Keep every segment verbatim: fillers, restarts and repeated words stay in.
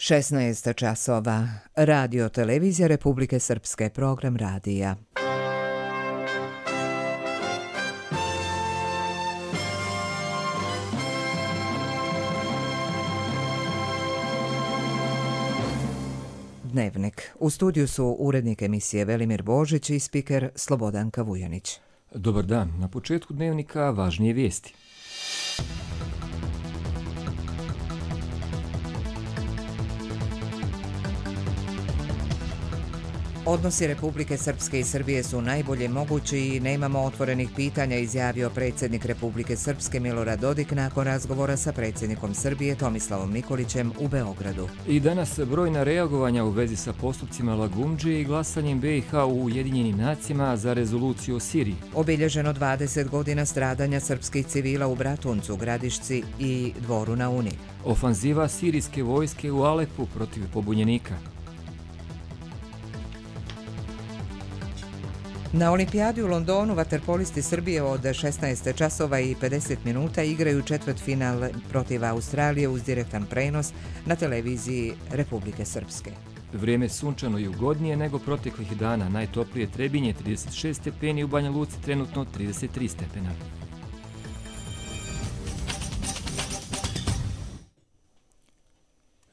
šesnaest časova. Radio televizija Republike Srpske, program radija. Dnevnik. U studiju su urednik emisije Velimir Božić i spiker Slobodanka Vujanić. Dobar dan. Na početku dnevnika važnije vijesti. Odnosi Republike Srpske i Srbije su najbolje mogući i nemamo otvorenih pitanja, izjavio predsjednik Republike Srpske Milorad Dodik nakon razgovora sa predsjednikom Srbije Tomislavom Nikolićem u Beogradu. I danas brojna reagovanja u vezi sa postupcima Lagumdžije i glasanjem be i ha u Ujedinjenim nacijama za rezoluciju o Siriji. Obilježeno dvadeset godina stradanja srpskih civila u Bratuncu, Gradišci i Dvoru na Uni. Ofanziva sirijske vojske u Alepu protiv pobunjenika. Na olimpijadi u Londonu vaterpolisti Srbije od šesnaest časova i pedeset minuta igraju četvrtfinal protiv Australije uz direktan prenos na televiziji Republike Srpske. Vrijeme sunčano i ugodnije nego proteklih dana. Najtoplije Trebinje trideset šest stepeni, u Banja Luci trenutno trideset tri stepena.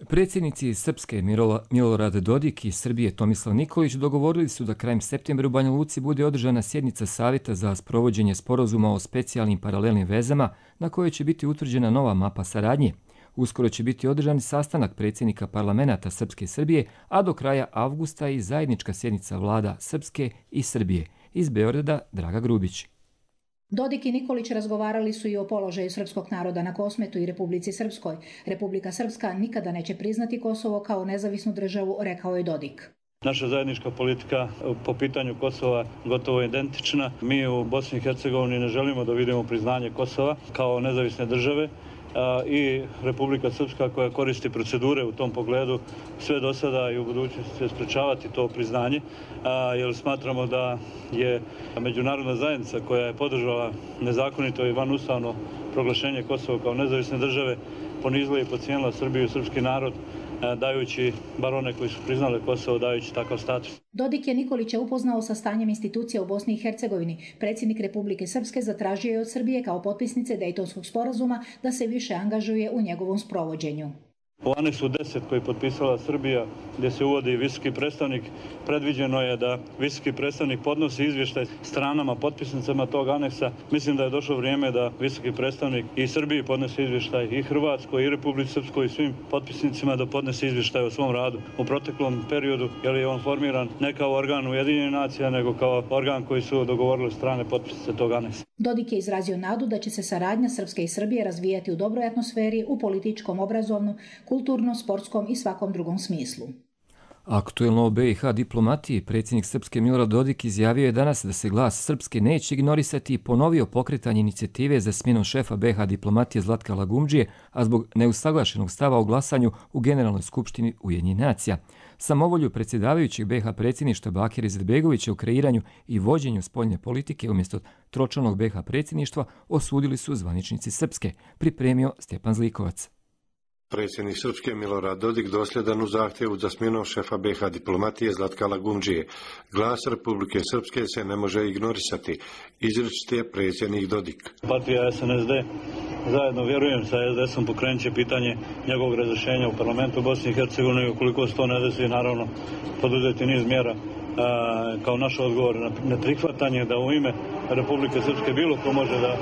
Predsjednici Srpske Milorad Dodik i Srbije Tomislav Nikolić dogovorili su da krajem septembra u Banja Luci bude održana sjednica Savjeta za sprovođenje sporazuma o specijalnim paralelnim vezama na kojoj će biti utvrđena nova mapa saradnje. Uskoro će biti održan sastanak predsjednika parlamenta Srpske i Srbije, a do kraja avgusta i zajednička sjednica vlada Srpske i Srbije. Iz Beograda Draga Grubić. Dodik i Nikolić razgovarali su i o položaju srpskog naroda na Kosmetu i Republici Srpskoj. Republika Srpska nikada neće priznati Kosovo kao nezavisnu državu, rekao je Dodik. Naša zajednička politika po pitanju Kosova gotovo je identična. Mi u Bosni i Hercegovini ne želimo da vidimo priznanje Kosova kao nezavisne države i Republika Srpska koja koristi procedure u tom pogledu sve do sada i u budućnosti će sprečavati to priznanje, jer smatramo da je međunarodna zajednica koja je podržala nezakonito i vanustavno proglašenje Kosova kao nezavisne države ponizila i podcijenila Srbiju i srpski narod, dajući, bar one koji su priznali Kosovo, dajući takav status. Dodik je Nikolića upoznao sa stanjem institucija u Bosni i Hercegovini. Predsjednik Republike Srpske zatražio je od Srbije kao potpisnice Dejtonskog sporazuma da se više angažuje u njegovom sprovođenju. U aneksu deset koji je potpisala Srbija, gdje se uvodi visoki predstavnik, predviđeno je da visoki predstavnik podnosi izvještaj stranama potpisnicama tog aneksa. Mislim da je došlo vrijeme da visoki predstavnik i Srbiji podnese izvještaj, i Hrvatskoj, i Republici Srpskoj, i svim potpisnicima da podnese izvještaj o svom radu u proteklom periodu, jer je on formiran ne kao organ Ujedinjenih nacija, nego kao organ koji su dogovorili strane potpisnice tog aneksa. Dodik je izrazio nadu da će se saradnja Srpske i Srbije razvijati u dobroj atmosferi, u političkom, obrazovnom, kulturnom, sportskom i svakom drugom smislu. Aktuelno o be i ha diplomatiji predsjednik Srpske Milorad Dodik izjavio je danas da se glas Srpske neće ignorisati i ponovio pokretanje inicijative za smjenom šefa be i ha diplomatije Zlatka Lagumdžije, a zbog neusaglašenog stava o glasanju u Generalnoj skupštini Ujedinjenih nacija. Samovolju predsjedavajućeg be i ha predsjedništva Bakira Izetbegovića u kreiranju i vođenju spoljne politike umjesto tročlanog be i ha predsjedništva osudili su zvaničnici Srpske, pripremio Stjepan Zlikovac. Predsjednik Srpske Milorad Dodik dosljedan u zahtjevu za smjenom šefa be i ha diplomatije Zlatka Lagumdžije. Glas Republike Srpske se ne može ignorisati, izričit je predsjednik Dodik. Partija es en es de zajedno, vjerujem, sa es de esom pokrenut će pitanje njegovog razrješenja u parlamentu Bosne i Hercegovine i ukoliko se to ne desi, naravno poduzeti niz mjera kao naš odgovor na neprihvatanje da u ime Republike Srpske bilo ko može da,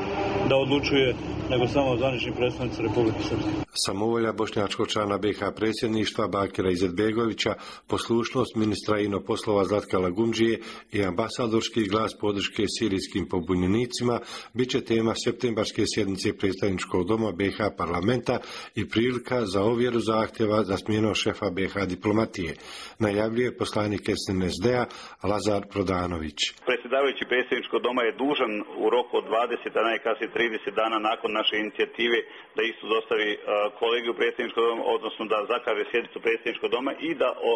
da odlučuje nego samo zvanični predstavnici Republike Srpske. Samovolja bošnjačkog člana be i ha predsjedništva Bakira Izetbegovića, poslušnost ministra inoposlova Zlatka Lagumdžije i ambasadorski glas podrške sirijskim pobunjenicima bit će tema septembarske sjednice predstavničkog doma be i ha parlamenta i prilika za ovjeru zahtjeva za smjenom šefa be i ha diplomatije, najavljuje poslanik es en es de-a Lazar Prodanović. Predsjedavajući predsjedničkog doma je dužan u roku od dvadeset, a najkasnije trideset dana nakon naše inicijative da isto dostavi kolegiju predsjedničkog doma, odnosno da zakaže sjednicu predsjedničkog doma i da o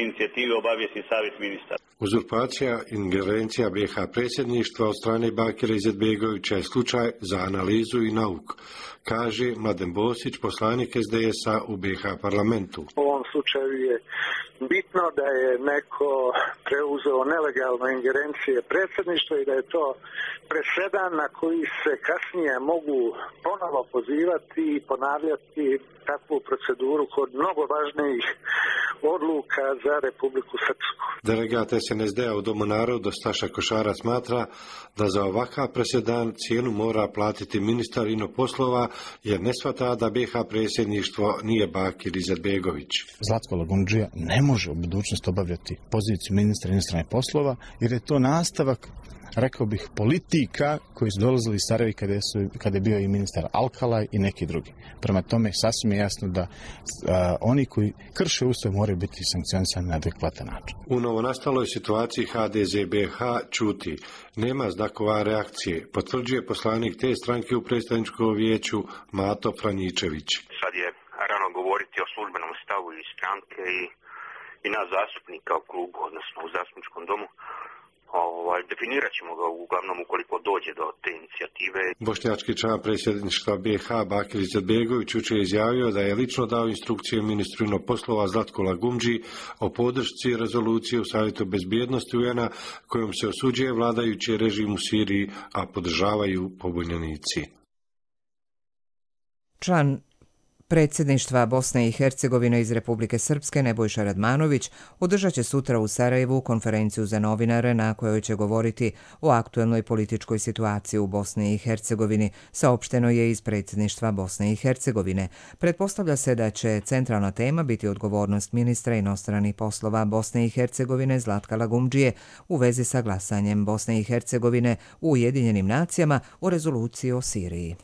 inicijativi obavijesti savjet ministara. Uzurpacija ingerencija be i ha predsjedništva od strane Bakira Izetbegovića je slučaj za analizu i nauku, kaže Mladen Bosić, poslanik es de esa u be i ha parlamentu. U ovom slučaju je bitno da je neko preuzeo nelegalno ingerencije predsjedništva i da je to presedan na koji se kasnije mogu ponovo pozivati i ponavljati takvu proceduru kod mnogo važnijih odluka za Republiku Srpsku. Delegat S N S D-a u Domu naroda Staša Košara smatra da za ovakav presedan cijenu mora platiti ministar inoposlova jer ne shvata da B H predsjedništvo nije Bakir Izetbegović. Zlatko Lagumdžija ne može u budućnosti obavljati poziciju ministra inostranih poslova jer je to nastavak, rekao bih, politika koji su dolazili iz Sarajeva kada, su, kada je bio i ministar Alkalaj i neki drugi. Prema tome, sasvim je jasno da a, oni koji krše ustav moraju biti sankcionisani na adekvatan način. U novonastaloj situaciji H D Z B H ćuti. Nema znakova reakcije, potvrđuje poslanik te stranke u predstavničkom vijeću Mato Franjičević. Sad je rano govoriti o službenom stavu iz stranke i, i nas zastupnika u klubu, odnosno u zastupničkom domu. Ovaj, definirat ćemo ga uglavnom ukoliko dođe do te inicijative. Bošnjački član predsjedništva B H Bakir Izetbegović jučer je izjavio da je lično dao instrukcije ministru inoposlova Zlatku Lagumdži o podršci rezolucije u Savjetu bezbjednosti U N-a kojom se osuđuje vladajući režim u Siriji, a podržavaju pobunjenici. Član predsjedništva Bosne i Hercegovine iz Republike Srpske Nebojša Radmanović održat će sutra u Sarajevu konferenciju za novinare na kojoj će govoriti o aktuelnoj političkoj situaciji u Bosni i Hercegovini, saopšteno je iz predsjedništva Bosne i Hercegovine. Pretpostavlja se da će centralna tema biti odgovornost ministra inostranih poslova Bosne i Hercegovine Zlatka Lagumdžije u vezi sa glasanjem Bosne i Hercegovine u Ujedinjenim nacijama o rezoluciji o Siriji.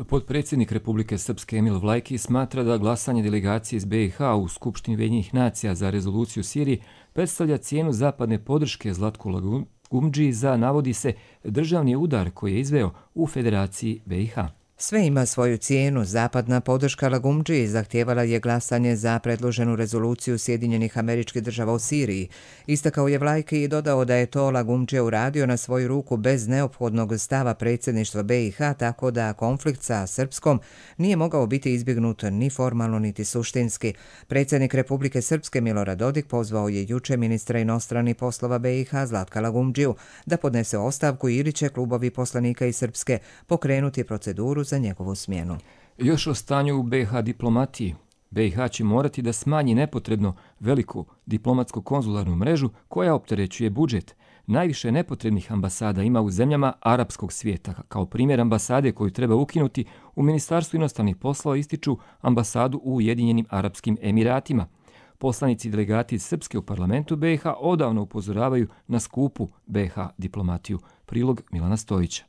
Potpredsjednik Republike Srpske Emil Vlajki smatra da glasanje delegacije iz B i H u Skupštini Ujedinjenih nacija za rezoluciju u Siriji predstavlja cijenu zapadne podrške Zlatku Lagumdžiji za, navodi se, državni udar koji je izveo u Federaciji B i H. Sve ima svoju cijenu. Zapadna podrška Lagumdžiji zahtijevala je glasanje za predloženu rezoluciju Sjedinjenih Američkih Država u Siriji. Istakao je Vlajki i dodao da je to Lagumdžija uradio na svoju ruku bez neophodnog stava predsjedništva B i H, tako da konflikt sa Srpskom nije mogao biti izbjegnut ni formalno niti suštinski. Predsjednik Republike Srpske Milorad Dodik pozvao je juče ministra inostranih poslova B i H Zlatka Lagumdžiju da podnese ostavku ili će klubovi poslanika iz Srpske pokrenuti proceduru za njegovu smjenu. Još o stanju u B i H diplomatiji. B i H će morati da smanji nepotrebno veliku diplomatsko-konzularnu mrežu koja opterećuje budžet. Najviše nepotrebnih ambasada ima u zemljama arapskog svijeta. Kao primjer ambasade koju treba ukinuti, u Ministarstvu inostranih poslova ističu ambasadu u Ujedinjenim Arapskim Emiratima. Poslanici i delegati iz Srpske u parlamentu B i H odavno upozoravaju na skupu B i H diplomatiju. Prilog Milana Stojića.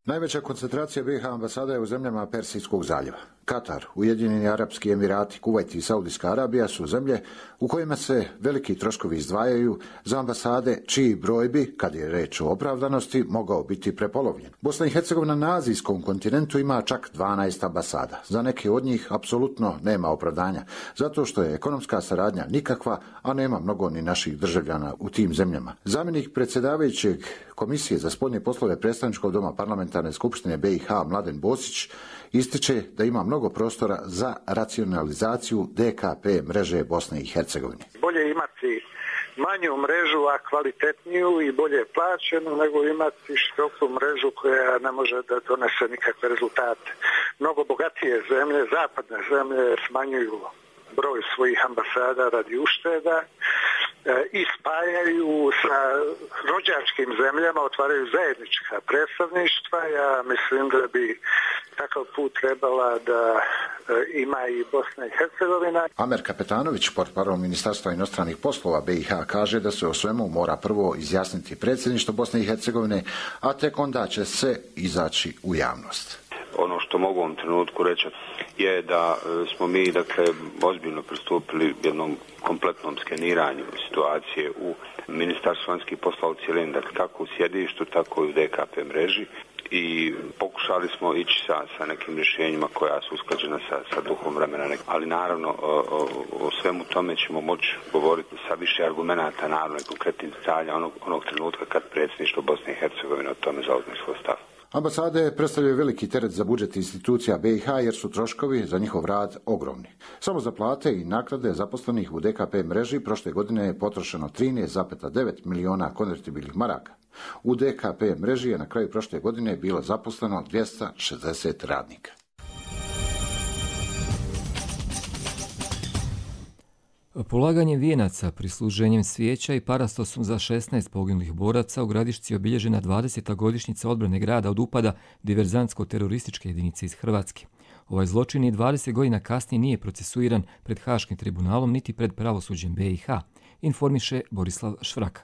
Najveća koncentracija B i H ambasada je u zemljama Persijskog zaljeva. Katar, Ujedinjeni Arapski Emirati, Kuvajt i Saudijska Arabija su zemlje u kojima se veliki troškovi izdvajaju za ambasade čiji broj bi, kad je reč o opravdanosti, mogao biti prepolovljen. Bosna i Hercegovina na azijskom kontinentu ima čak dvanaest ambasada. Za neke od njih apsolutno nema opravdanja, zato što je ekonomska saradnja nikakva, a nema mnogo ni naših državljana u tim zemljama. Zamjenik predsjedavajućeg Komisije za spoljne poslove predstavničkog doma Parlamentarne skupštine B i H Mladen Bosić ističe da ima mnogo prostora za racionalizaciju D K P mreže Bosne i Hercegovine. Bolje imati manju mrežu, a kvalitetniju i bolje plaćenu, nego imati široku mrežu koja ne može da donese nikakve rezultate. Mnogo bogatije zemlje, zapadne zemlje, smanjuju broj svojih ambasada radi ušteda i spajaju sa rođačkim zemljama, otvaraju zajednička predstavništva. Ja mislim da bi takav put trebala da ima i Bosna i Hercegovina. Amer Kapetanović, portparol Ministarstva inostranih poslova B i H, kaže da se o svemu mora prvo izjasniti predsjedništvo Bosne i Hercegovine, a tek onda će se izaći u javnost. Ono što mogu u ovom trenutku reći je da smo mi, dakle, ozbiljno pristupili jednom kompletnom skeniranju situacije u Ministarstvu vanjskih poslova u cijelini, dakle, kako u sjedištu, tako i u D K P mreži, i pokušali smo ići sa, sa nekim rješenjima koja su usklađena sa, sa duhom vremena. Ali naravno o, o, o svemu tome ćemo moći govoriti sa više argumenata, naravno i konkretnih detalja onog, onog trenutka kad predsjedništvo Bosne i Hercegovine o tome zauzme svoj stav. Ambasade predstavljaju veliki teret za budžet institucija B i H jer su troškovi za njihov rad ogromni. Samo za plate i naknade zaposlenih u D K P mreži prošle godine je potrošeno trinaest zarez devet miliona konvertibilnih maraka. U D K P mreži je na kraju prošle godine bilo zaposleno dvjesto šezdeset radnika. Polaganjem vijenaca, prisluženjem svijeća i parastosom za šesnaest poginulih boraca u Gradišci je obilježena dvadeseta godišnjica odbrane grada od upada diverzantsko-terorističke jedinice iz Hrvatske. Ovaj zločin i dvadeset godina kasnije nije procesuiran pred Haškim tribunalom niti pred pravosuđem B i H, informiše Borislav Švraka.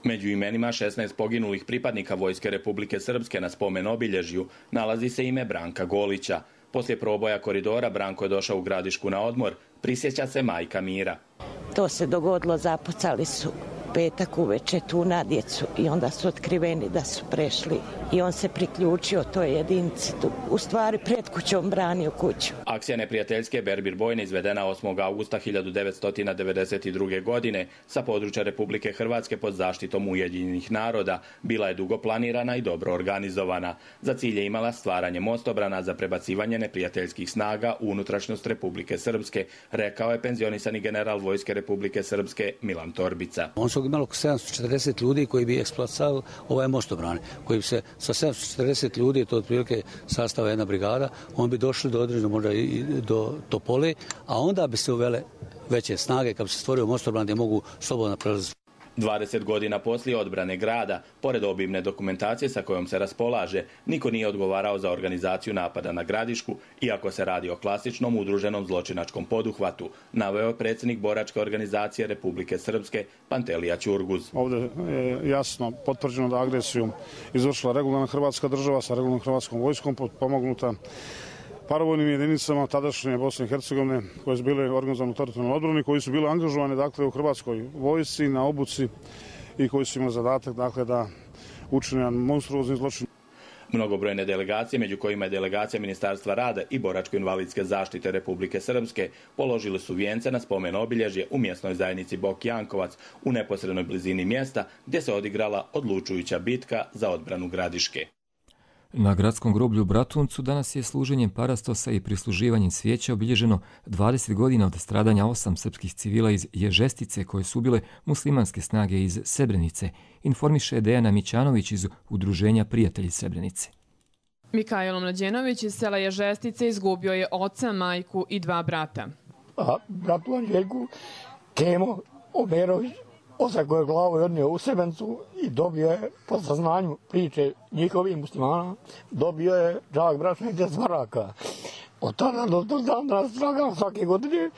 Među imenima šesnaest poginulih pripadnika Vojske Republike Srpske na spomen obilježju nalazi se ime Branka Golića. Poslije proboja koridora Branko je došao u Gradišku na odmor, prisjeća se majka Mira. To se dogodilo, zapucali su petak uveče tu na djecu i onda su otkriveni da su prešli i on se priključio toj jedinici, u stvari pred kućom branio kuću. Akcija neprijateljske Berbir bojne izvedena osmog augusta hiljadu devetsto devedeset druge. godine sa područja Republike Hrvatske pod zaštitom Ujedinjenih naroda bila je dugo planirana i dobro organizovana. Za cilj je imala stvaranje mostobrana za prebacivanje neprijateljskih snaga u unutrašnjost Republike Srpske, rekao je penzionisani general Vojske Republike Srpske Milan Torbica. On su imali oko sedamsto četrdeset ljudi koji bi eksploatisali ovaj mostobrane, koji bi se sa sedamsto četrdeset ljudi, to je otprilike sastava jedna brigada, on bi došli do određenog možda i do Topole, a onda bi se uvele veće snage kad bi se stvorio mostobran gdje mogu slobodno prelaziti. dvadeset godina poslije odbrane grada, pored obimne dokumentacije sa kojom se raspolaže, niko nije odgovarao za organizaciju napada na Gradišku, iako se radi o klasičnom udruženom zločinačkom poduhvatu, naveo je predsjednik boračke organizacije Republike Srpske Pantelija Ćurguz. Ovdje je jasno potvrđeno da agresiju izvršila regularna Hrvatska država sa regularnom Hrvatskom vojskom pomognuta paravojnim jedinicama tadašnje Bosne i Hercegovine koje su bile organizovane u teritorijalnoj odbrani, koji su bile angažovane dakle, u Hrvatskoj vojsci na obuci i koji su imali zadatak dakle, da učine jedan monstruozni zločin. Mnogobrojne delegacije, među kojima je delegacija Ministarstva rada i boračko-invalidske zaštite Republike Srpske, položili su vijence na spomen obilježje u mjesnoj zajednici Bok Jankovac u neposrednoj blizini mjesta gdje se odigrala odlučujuća bitka za odbranu Gradiške. Na gradskom groblju u Bratuncu danas je služenjem parastosa i prisluživanjem svijeća obilježeno dvadeset godina od stradanja osam srpskih civila iz Ježestice koje su bile muslimanske snage iz Srebrenice, informiše Dejana Mićanović iz Udruženja Prijatelji Srebrenice. Mikajlo Mlađenović iz sela Ježestice izgubio je oca, majku i dva brata. A bratu Anđeljku, Kemo Omerović, oca koje glavu je odnio u Srebrenicu i dobio je, po saznanju priče njihovih muslimana, dobio je džak brašna i deset maraka. Od tada do tog dana tragam svake godine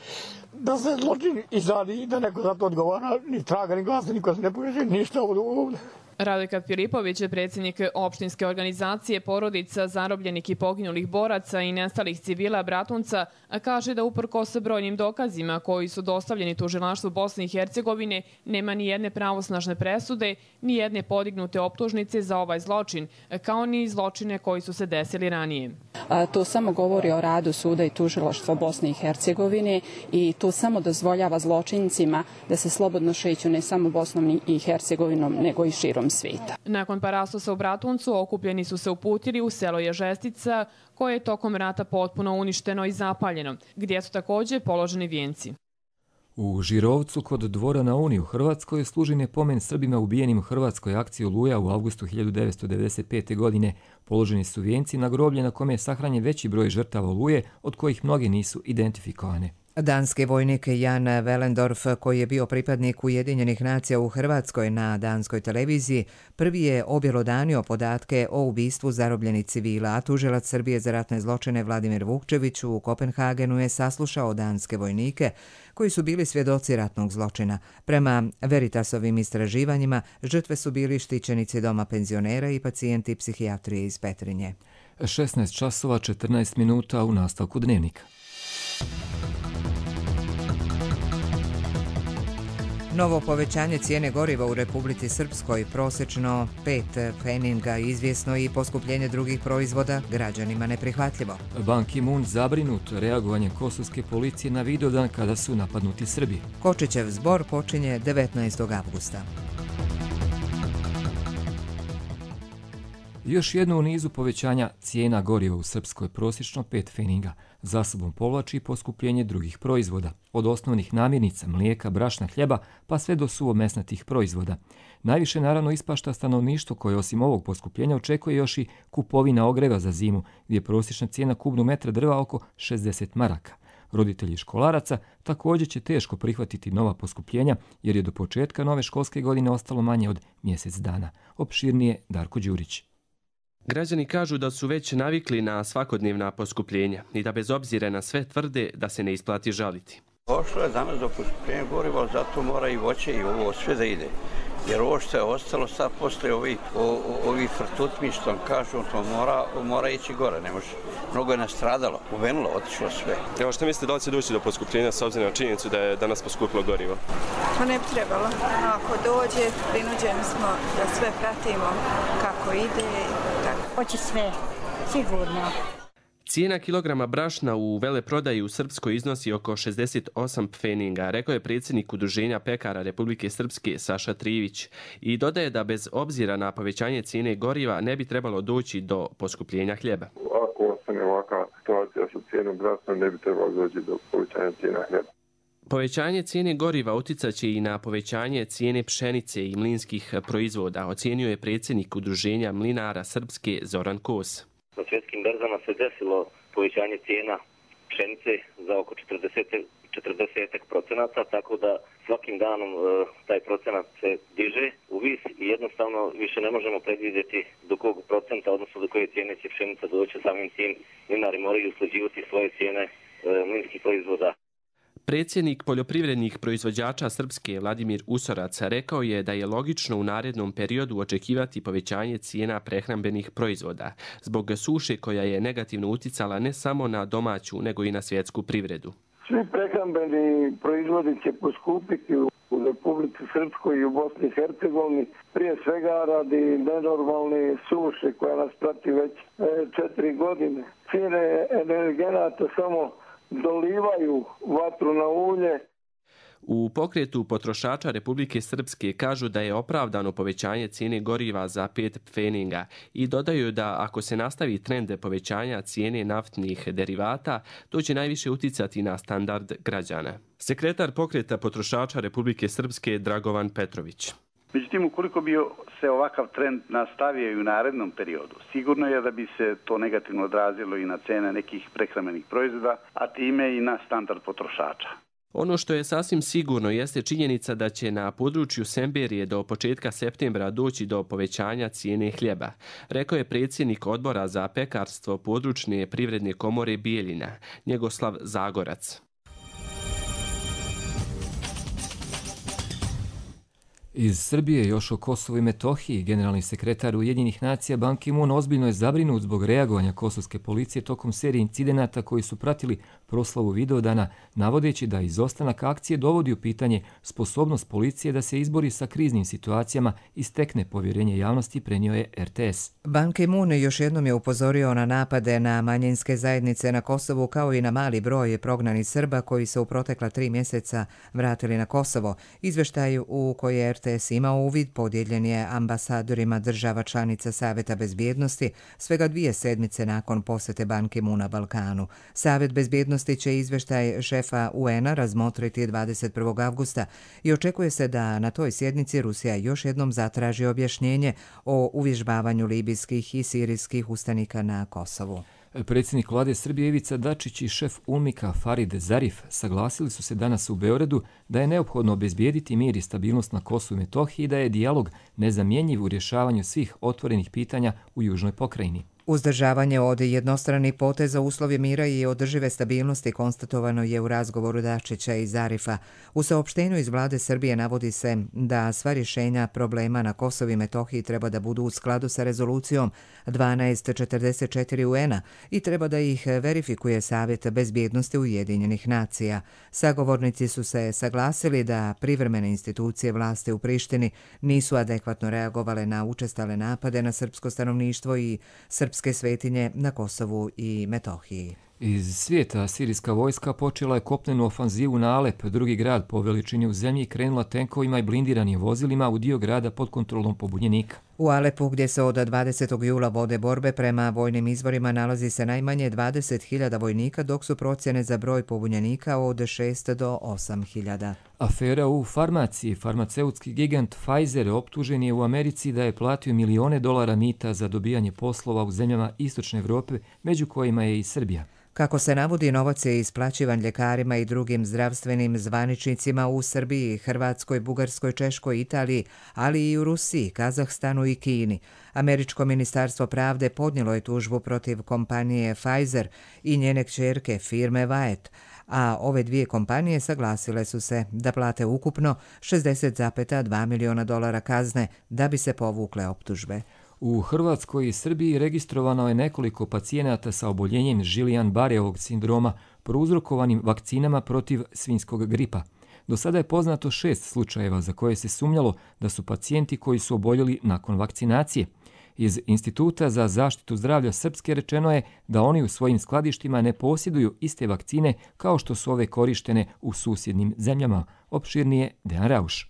da se zločin izradi i da neko za to odgovara, ni traga, ni glasa, niko se ne poveže, ništa ovdje. Radojka Filipović je predsjednik opštinske organizacije porodica zarobljenih i poginulih boraca i nestalih civila Bratunca, a kaže da uprkos brojnim dokazima koji su dostavljeni tužilaštvu Bosne i Hercegovine nema ni jedne pravosnažne presude, ni jedne podignute optužnice za ovaj zločin, kao ni zločine koji su se desili ranije. A, to samo govori o radu suda i tužilaštva Bosne i Hercegovine i to samo dozvoljava zločincima da se slobodno šeću ne samo Bosnom i Hercegovinom, nego i širom svijeta. Nakon parastosa u Bratuncu okupljeni su se uputili u selo Ježestica, koje je tokom rata potpuno uništeno i zapaljeno, gdje su također položeni vijenci. U Žirovcu kod Dvora na Uni u Hrvatskoj služen je pomen Srbima ubijenim u hrvatskoj akciji Oluja u avgustu hiljadu devetsto devedeset pete. godine. Položeni su vijenci na groblje na kome je sahranjen veći broj žrtava Oluje, od kojih mnoge nisu identifikovane. Danski vojnik Jan Velendorf, koji je bio pripadnik Ujedinjenih nacija u Hrvatskoj na danskoj televiziji, prvi je objelodanio podatke o ubistvu zarobljenih civila, a tužilac Srbije za ratne zločine Vladimir Vukčević u Kopenhagenu je saslušao danske vojnike koji su bili svjedoci ratnog zločina. Prema Veritasovim istraživanjima, žrtve su bili štićenici doma penzionera i pacijenti psihijatrije iz Petrinje. šesnaest časova četrnaest minuta u nastavku dnevnika. Novo povećanje cijene goriva u Republici Srpskoj, prosječno pet pfeninga, izvjesno i poskupljenje drugih proizvoda, građanima neprihvatljivo. Ban Ki-moon zabrinut reagovanje kosovske policije na Vidovdan kada su napadnuti Srbi. Kočićev zbor počinje devetnaestog avgusta. Još jedno u nizu povećanja cijena goriva u Srpskoj, prosječno pet pfeninga. Za sobom povlači poskupljenje drugih proizvoda, od osnovnih namirnica, mlijeka, brašna, hljeba, pa sve do suvomesnatih proizvoda. Najviše naravno ispašta stanovništvo koje osim ovog poskupljenja očekuje još i kupovina ogreva za zimu, gdje je prosječna cijena kubnog metra drva oko šezdeset maraka. Roditelji školaraca također će teško prihvatiti nova poskupljenja jer je do početka nove školske godine ostalo manje od mjesec dana. Opširnije Darko Đurić. Građani kažu da su već navikli na svakodnevna poskupljenja i da bez obzira na sve tvrde da se ne isplati žaliti. Došlo je danas do poskupljenja goriva, zato mora i voće i ovo sve da ide. Jer ovo što je ostalo sad posle ovi, ovi frtutmi što kažu, to mora, mora ići gore, ne može. Mnogo je nastradalo, uvenulo, otišlo sve. Evo što mislite da li će doći do poskupljenja s obzirom na činjenicu da je danas poskupilo gorivo? To ne bi trebalo. Ako dođe, prinuđeni smo da sve pratimo kako ide i tako. Hoće sve, sigurno. Cijena kilograma brašna u veleprodaji u Srpskoj iznosi oko šezdeset osam pfeninga, rekao je predsjednik Udruženja pekara Republike Srpske Saša Trivić i dodaje da bez obzira na povećanje cijene goriva ne bi trebalo doći do poskupljenja hljeba. Ako ostane ovakva situacija sa cijenom brašna, ne bi trebalo doći do povećanja cijena hljeba. Povećanje cijene goriva uticat će i na povećanje cijene pšenice i mlinskih proizvoda, ocijenio je predsjednik Udruženja mlinara Srpske Zoran Kos. Na svjetskim berzama se desilo povećanje cijena pšenice za oko četrdeset procenata, tako da svakim danom e, taj procenat se diže u vis i jednostavno više ne možemo predvidjeti do kog procenta, odnosno do koje cijene će pšenica doći. Samim tim mlinari moraju usklađivati svoje cijene e, mlinskih proizvoda. Predsjednik poljoprivrednih proizvođača Srpske Vladimir Usorac rekao je da je logično u narednom periodu očekivati povećanje cijena prehrambenih proizvoda zbog suše koja je negativno uticala ne samo na domaću nego i na svjetsku privredu. Svi prehrambeni proizvodi će poskupiti u Republici Srpskoj i u Bosni i Hercegovini, prije svega radi nenormalne suše koja nas prati već četiri godine. Cijene energenata samo dolivaju vatru na ulje. U pokretu potrošača Republike Srpske kažu da je opravdano povećanje cijene goriva za pet pfeninga i dodaju da ako se nastavi trend povećanja cijene naftnih derivata, to će najviše uticati na standard građana. Sekretar pokreta potrošača Republike Srpske Dragovan Petrović. Međutim, ukoliko bi se ovakav trend nastavio i u narednom periodu, sigurno je da bi se to negativno odrazilo i na cene nekih prehrambenih proizvoda, a time i na standard potrošača. Ono što je sasvim sigurno jeste činjenica da će na području Semberije do početka septembra doći do povećanja cijene hljeba, rekao je predsjednik odbora za pekarstvo područne privredne komore Bijeljina, Njegoslav Zagorac. Iz Srbije još o Kosovu i Metohiji generalni sekretar Ujedinjenih nacija Ban Ki-moon ozbiljno je zabrinut zbog reagovanja kosovske policije tokom serije incidenata koji su pratili proslavu Vidovdana, navodeći da izostanak akcije dovodi u pitanje sposobnost policije da se izbori sa kriznim situacijama i stekne povjerenje javnosti, prenio je R T S. Ban Ki-moon još jednom je upozorio na napade na manjinske zajednice na Kosovu kao i na mali broj prognanih Srba koji se u protekla tri mjeseca vratili na Kosovo. Izveštaj u koji je R T S imao uvid podijeljen je ambasadorima država članica Saveta bezbjednosti svega dvije sedmice nakon posjete Ban Ki-moona Balkanu. Savet bezbjednosti će izveštaj šefa U N a razmotriti dvadeset prvog avgusta i očekuje se da na toj sjednici Rusija još jednom zatraži objašnjenje o uvježbavanju libijskih i sirijskih ustanika na Kosovu. Predsjednik vlade Srbije Ivica Dačić i šef U N M I K-a Farid Zarif saglasili su se danas u Beogradu da je neophodno obezbijediti mir i stabilnost na Kosovu i Metohiji i da je dijalog nezamjenjiv u rješavanju svih otvorenih pitanja u južnoj pokrajini. Uzdržavanje od jednostranih poteza uslovi mira i održive stabilnosti konstatovano je u razgovoru Dačića i Zarifa. U saopštenju iz vlade Srbije navodi se da sva rješenja problema na Kosovu i Metohiji treba da budu u skladu sa rezolucijom dvanaest četrdeset četiri U N a i treba da ih verifikuje Savjet bezbjednosti Ujedinjenih nacija. Sagovornici su se saglasili da privremene institucije vlasti u Prištini nisu adekvatno reagovale na učestale napade na srpsko stanovništvo i srpske svetinje na Kosovu i Metohiji. Iz svijeta sirijska vojska počela je kopnenu ofanzivu na Alep, drugi grad po veličini u zemlji, krenula tenkovima i blindiranim vozilima u dio grada pod kontrolom pobunjenika. U Alepu, gdje se od dvadesetog jula vode borbe, prema vojnim izvorima nalazi se najmanje dvadeset hiljada vojnika, dok su procjene za broj pobunjenika od šest do osam hiljada. Afera u farmaciji. Farmaceutski gigant Pfizer optužen je u Americi da je platio milione dolara mita za dobijanje poslova u zemljama Istočne Evrope, među kojima je i Srbija. Kako se navodi, novac je isplaćivan ljekarima i drugim zdravstvenim zvaničnicima u Srbiji, Hrvatskoj, Bugarskoj, Češkoj, Italiji, ali i u Rusiji, Kazahstanu i Kini. Američko ministarstvo pravde podnijelo je tužbu protiv kompanije Pfizer i njene kćerke firme Wyeth, a ove dvije kompanije saglasile su se da plate ukupno šezdeset zarez dva miliona dolara kazne da bi se povukle optužbe. U Hrvatskoj i Srbiji registrovano je nekoliko pacijenata sa oboljenjem Guillain-Barréovog sindroma prouzrokovanim vakcinama protiv svinjskog gripa. Do sada je poznato šest slučajeva za koje se sumnjalo da su pacijenti koji su oboljeli nakon vakcinacije. Iz Instituta za zaštitu zdravlja Srpske rečeno je da oni u svojim skladištima ne posjeduju iste vakcine kao što su ove korištene u susjednim zemljama. Opširnije Dejan Rauš.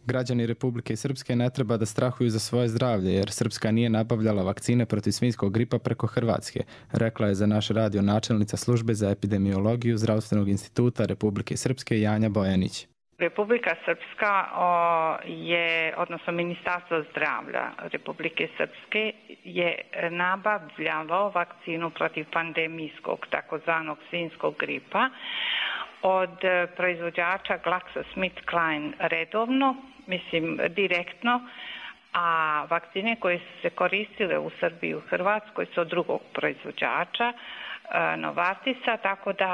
Građani Republike Srpske ne treba da strahuju za svoje zdravlje, jer Srpska nije nabavljala vakcine protiv svinjskog gripa preko Hrvatske, rekla je za naš radio načelnica službe za epidemiologiju Zdravstvenog instituta Republike Srpske Janja Bojanić. Republika Srpska o, je, odnosno Ministarstvo zdravlja Republike Srpske je nabavljalo vakcinu protiv pandemijskog takozvanog svinjskog gripa od proizvođača GlaxoSmithKline redovno, mislim direktno, a vakcine koje su se koristile u Srbiji i u Hrvatskoj su od drugog proizvođača, Novartisa, tako da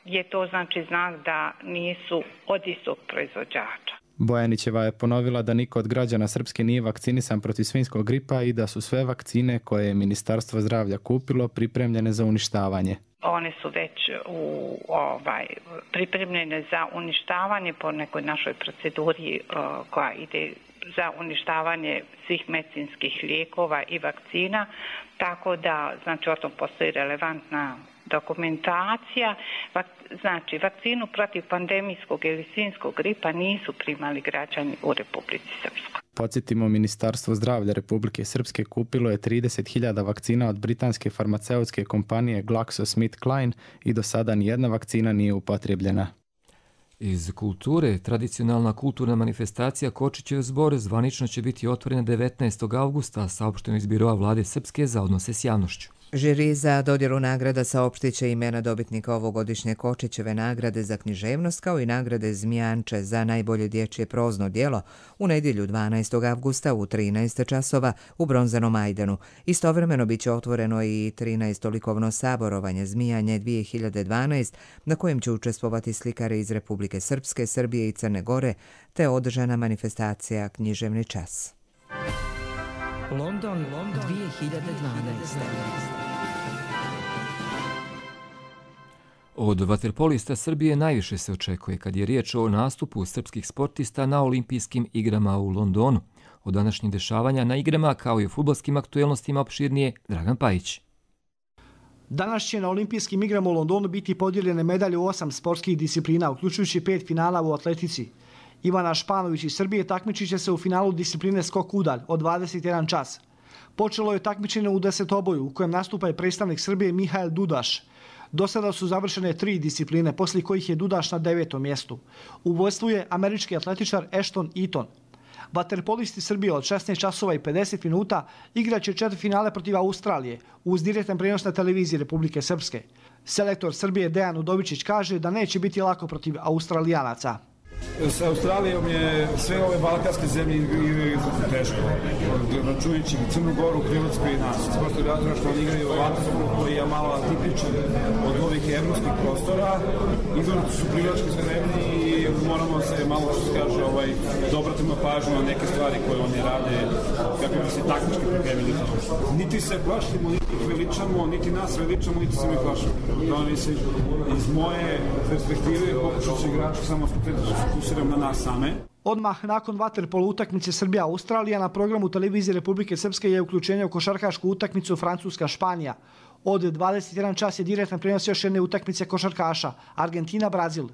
je to znači znak da nisu od istog proizvođača. Bojanićeva je ponovila da niko od građana Srpske nije vakcinisan protiv svinjskog gripa i da su sve vakcine koje je Ministarstvo zdravlja kupilo pripremljene za uništavanje. One su već u, ovaj, pripremljene za uništavanje po nekoj našoj proceduri uh, koja ide za uništavanje svih medicinskih lijekova i vakcina, tako da znači o tom postoji relevantna dokumentacija. Znači, vakcinu protiv pandemijskog ili svinjskog gripa nisu primali građani u Republici Srpskoj. Podsjetimo, Ministarstvo zdravlja Republike Srpske kupilo je trideset hiljada vakcina od britanske farmaceutske kompanije GlaxoSmithKline i do sada nijedna vakcina nije upotrijebljena. Iz kulture, tradicionalna kulturna manifestacija Kočićev zbor zvanično će biti otvorena devetnaestog avgusta, saopšteno iz Biroa vlade Srpske za odnose s javnošću. Žiri za dodjelu nagrada saopštit će imena dobitnika ovogodišnje Kočićeve nagrade za književnost kao i nagrade Zmijanče za najbolje dječje prozno djelo u nedjelju dvanaestog avgusta u trinaest časova u Bronzanom Ajdanu. Istovremeno biće otvoreno i trinaesto likovno saborovanje Zmijanje dvije hiljade dvanaest na kojem će učestvovati slikari iz Republike Srpske, Srbije i Crne Gore te održana manifestacija Književni čas. London, London dvije hiljade dvanaest. Od vaterpolista Srbije najviše se očekuje kad je riječ o nastupu srpskih sportista na olimpijskim igrama u Londonu. Od današnjih dešavanja na igrama kao i u fudbalskim aktuelnostima opširnije Dragan Pajić. Danas će na olimpijskim igrama u Londonu biti podijeljene medalje u osam sportskih disciplina, uključujući pet finala u atletici. Ivana Španović iz Srbije takmičit će se u finalu discipline skok udalj od dvadeset jedan čas. Počelo je takmičenje u desetoboju u kojem nastupa i predstavnik Srbije Mihael Dudaš. Do sada su završene tri discipline, poslije kojih je Dudaš na devetom mjestu. U vodstvu je američki atletičar Ashton Eaton. Vaterpolisti Srbije od šesnaest časova i pedeset minuta igraće četvrtfinale protiv Australije uz direktan prenos na televiziji Republike Srpske. Selektor Srbije Dejan Udovičić kaže da neće biti lako protiv Australijanaca. S Australijom je sve ove balkanske zemlje igraju teško, računajući Crnu Goru, Hrvatsku i nas. S prostog razloga što oni igraju vaterpolo koji je malo atipičan od ovih evropskih prostora. Izvorno su privlački spremni i moramo se malo, što se kaže, ovaj, dobratimo pažnju na neke stvari koje oni rade kako bi se taktički pripremili za to. Niti se plašimo, niti ih veličamo, niti nas veličamo, niti se mi plašimo. To mislim, iz moje perspektive pokušat će igrači samo fokusiram na nas same. Odmah nakon vaterpolo utakmice Srbija-Australija na programu televizije Republike Srpske je uključenje u košarkašku utakmicu Francuska-Španija. Od dvadeset jedan čas je direktan prenos još jedne utakmice košarkaša Argentina-Brazil.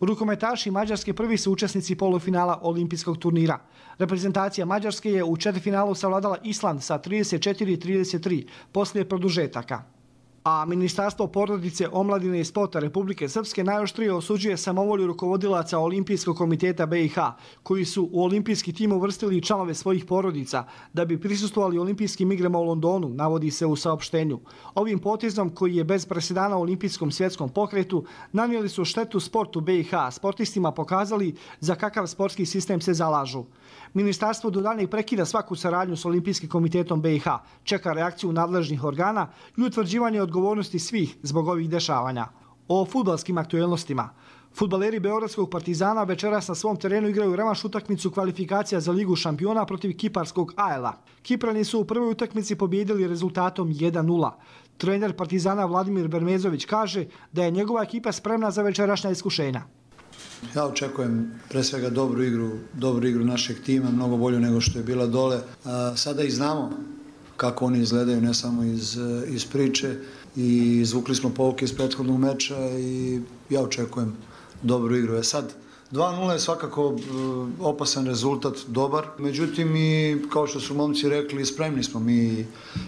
Rukometaši Mađarske prvi su učesnici polufinala olimpijskog turnira. Reprezentacija Mađarske je u četvrtfinalu savladala Island sa trideset četiri trideset tri poslije produžetaka. A Ministarstvo porodice, omladine i sporta Republike Srpske najoštrije osuđuje samovolju rukovodilaca Olimpijskog komiteta B i H, koji su u olimpijski tim uvrstili članove svojih porodica da bi prisustvovali olimpijskim igrama u Londonu, navodi se u saopštenju. Ovim potezom, koji je bez presedana u olimpijskom svjetskom pokretu, nanijeli su štetu sportu B i H, sportistima pokazali za kakav sportski sistem se zalažu. Ministarstvo do daljnjeg prekida svaku saradnju s Olimpijskim komitetom B i H, čeka reakciju nadležnih organa i utvrđivanje odgovornosti svih zbog ovih dešavanja. O fudbalskim aktuelnostima. Fudbaleri Beogradskog Partizana večeras na svom terenu igraju revanš utakmicu kvalifikacija za Ligu šampiona protiv kiparskog A L A. Kiprani su u prvoj utakmici pobijedili rezultatom jedan nula. Trener Partizana Vladimir Bermezović kaže da je njegova ekipa spremna za večerašnja iskušenja. Ja očekujem pre svega dobru igru, dobru igru našeg tima, mnogo bolju nego što je bila dole. Sada i znamo kako oni izgledaju, ne samo iz, iz priče, i izvukli smo pouke iz prethodnog meča i ja očekujem dobru igru. E sad, dva nula je svakako opasan rezultat, dobar, međutim i kao što su momci rekli, spremni smo mi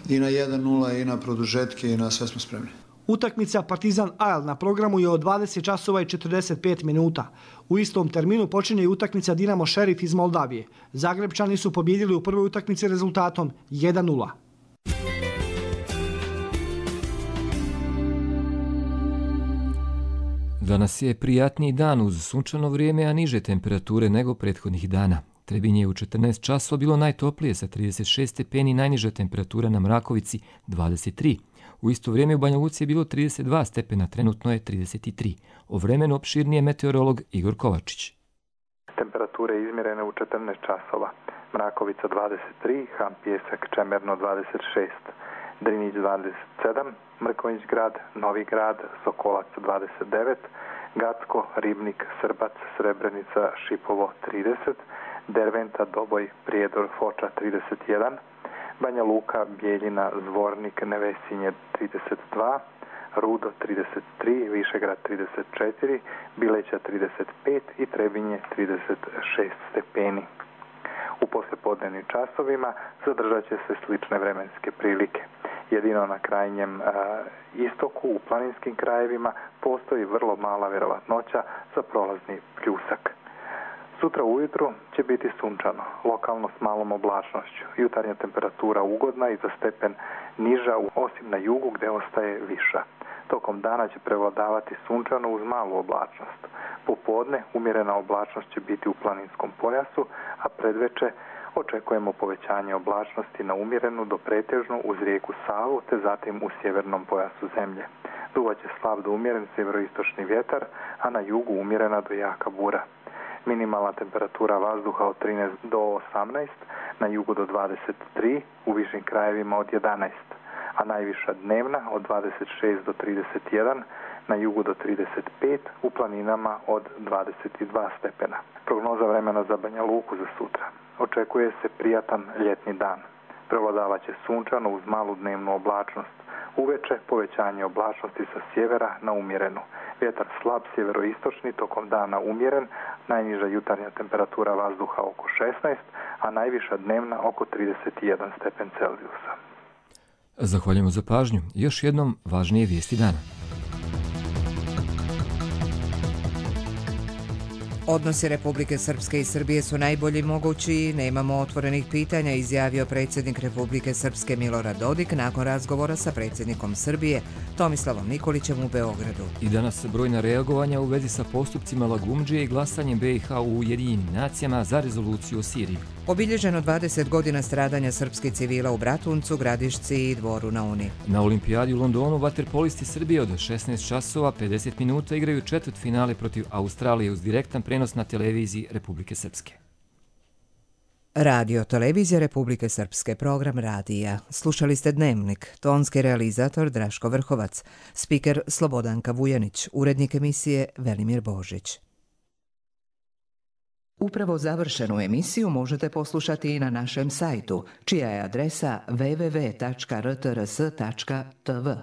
i na jedan nula i na produžetke i na sve smo spremni. Utakmica Partizan A L na programu je od dvadeset časova i četrdeset pet minuta. U istom terminu počinje i utakmica Dinamo Šerif iz Moldavije. Zagrebčani su pobjedili u prvoj utakmici rezultatom jedan nula. Danas je prijatniji dan uz sunčano vrijeme, a niže temperature nego prethodnih dana. Trebinje je u četrnaest časova bilo najtoplije sa trideset šest stepeni, najniža temperatura na Mrakovici dvadeset tri. U isto vrijeme u Banja Luci je bilo trideset dva stepena, trenutno je trideset tri. O vremenu opširnije meteorolog Igor Kovačić. Temperature izmjerene u četrnaest časova. Mrakovica dvadeset tri, Ham Pijesak Čemerno dvadeset šest, Drinić dvadeset sedam, Mrkonjić grad, Novi grad, Sokolac dvadeset devet, Gacko, Ribnik, Srbac, Srebrenica, Šipovo trideset, Derventa, Doboj, Prijedor, Foča trideset jedan, Banja Luka, Bijeljina, Zvornik, Nevesinje trideset dva, Rudo trideset tri, Višegrad trideset četiri, Bileća trideset pet i Trebinje trideset šest stepeni. U poslijepodnevnim časovima zadržat će se slične vremenske prilike. Jedino na krajnjem a, istoku u planinskim krajevima postoji vrlo mala vjerovatnoća za prolazni pljusak. Sutra ujutru će biti sunčano, lokalno s malom oblačnošću. Jutarnja temperatura ugodna i za stepen niža, osim na jugu gdje ostaje viša. Tokom dana će prevladavati sunčano uz malu oblačnost. Popodne umjerena oblačnost će biti u planinskom pojasu, a predveče očekujemo povećanje oblačnosti na umjerenu do pretežnu uz rijeku Savu, te zatim u sjevernom pojasu zemlje. Duvaće slab do umjeren sjeveroistočni vjetar, a na jugu umjerena do jaka bura. Minimalna temperatura vazduha od trinaest do osamnaest, na jugu do dvadeset tri, u višim krajevima od jedanaest, a najviša dnevna od dvadeset šest do trideset jedan, na jugu do trideset pet, u planinama od dvadeset dva stepena. Prognoza vremena za Banja Luku za sutra. Očekuje se prijatan ljetni dan. Prevladavat će sunčano uz malu dnevnu oblačnost. Uveče povećanje oblačnosti sa sjevera na umjerenu. Vjetar slab sjeveroistočni, tokom dana umjeren, najniža jutarnja temperatura vazduha oko šesnaest, a najviša dnevna oko trideset jedan stepen Celzijusa. Zahvaljujemo za pažnju. Još jednom važnije vijesti dana. Odnosi Republike Srpske i Srbije su najbolji mogući, nemamo otvorenih pitanja, izjavio predsjednik Republike Srpske Milorad Dodik nakon razgovora sa predsjednikom Srbije Tomislavom Nikolićem u Beogradu. I danas brojna reagovanja u vezi sa postupcima Lagumdžije i glasanjem B i H u Ujedinjenim nacijama za rezoluciju o Siriji. Obilježeno dvadeset godina stradanja srpskih civila u Bratuncu, Gradišci i Dvoru na Uni. Na olimpijadi u Londonu vaterpolisti Srbije od šesnaest časova pedeset minuta igraju četvrtfinale protiv Australije uz direktan prenos na televiziji Republike Srpske. Radio Televizija Republike Srpske, program radija. Slušali ste Dnevnik, tonski realizator Draško Vrhovac, spiker Slobodanka Vujanić, urednik emisije Velimir Božić. Upravo završenu emisiju možete poslušati i na našem sajtu, čija je adresa w w w tačka r t r s tačka t v.